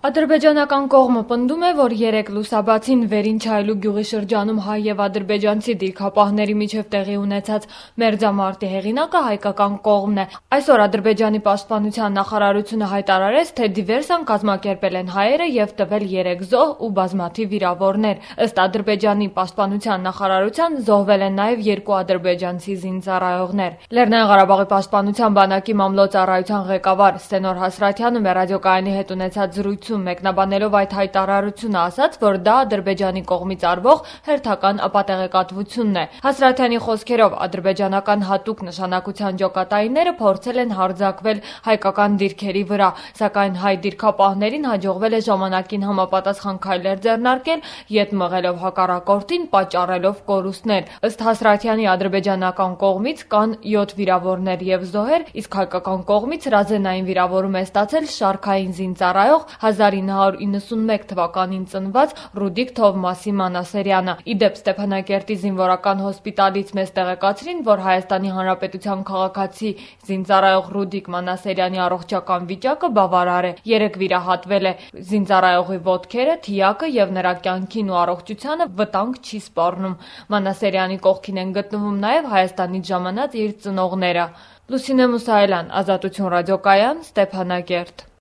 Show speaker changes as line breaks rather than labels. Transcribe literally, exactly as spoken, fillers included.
Ադրբեջանական կողմը պնդում է, որ երեկ լուսաբացին Վերին-Չայլու գյուղի շրջանում հայ և ադրբեջանցի դիրքապահների միջև տեղի ունեցած մերձամարտի հեղինակը հայկական կողմն է։ Այսօր Ադրբեջանի պաշտպանության նախարարությունը հայտարարեց, թե դիվերսիան կազմակերպել են հայերը և տվել երեք զոհ ու բազմաթիվ վիրավորներ։ Ըստ Ադրբեջանի պաշտպանության նախարարության զոհվել են նաև երկու ադրբեջանցի զինծառայողներ։ Լեռնային Ղարաբաղի պաշտպանության բանակի մամլոյ-ծառայության ղեկավար Սենոր Հասրաթյանը մեր ռադիոկայանի հետ ունեցած զրույցում մեկնաբանելով այդ հայտարարությունը ասաց, որ դա Ադրբեջանի կողմից արվող հերթական ապատեղեկատվությունն է։ Հասրաթյանի խոսքերով ադրբեջանական հատուկ նշանակության ջոկատայինները փորձել են հարձակվել հայկական դիրքերի վրա, սակայն հայ դիրքապահներին հաջողվել է ժամանակին համապատասխան քայլեր ձեռնարկել, ետ մղելով հակառակորդին, պատճառելով կորուստներ։ Ըստ Հասրաթյանի ադրբեջանական կողմից կան յոթ վիրավորներ և զոհեր, իսկ հայկական կողմից հրազենային վիրավորում է ստացել շարքային զինծառայող հազար ինը հարյուր իննսունմեկ թվականին ծնված Ռուդիկ Թովմասի Մանասերյանը։ Իդեպ Ստեփանակերտի զինվորական հոսպիտալից մեզ տեղեկացրին, որ Հայաստանի Հանրապետության քաղաքացի զինծառայող Ռուդիկ Մանասերյանի առողջական վիճակը բավարար է։ Երեկ վիրահատվել է։ Զինծառայողի ոտքերը, թիակը և նրա կյանքին ու առողջությանը վտանգ չի սպառնում։ Մանասերյանի կողքին են գտնվում նաև Հայաստանից ժամանած իր ծնողները։ Լուսինե Մուսայելյան, Ազատություն ռադիոկայան, Ստեփանակերտ։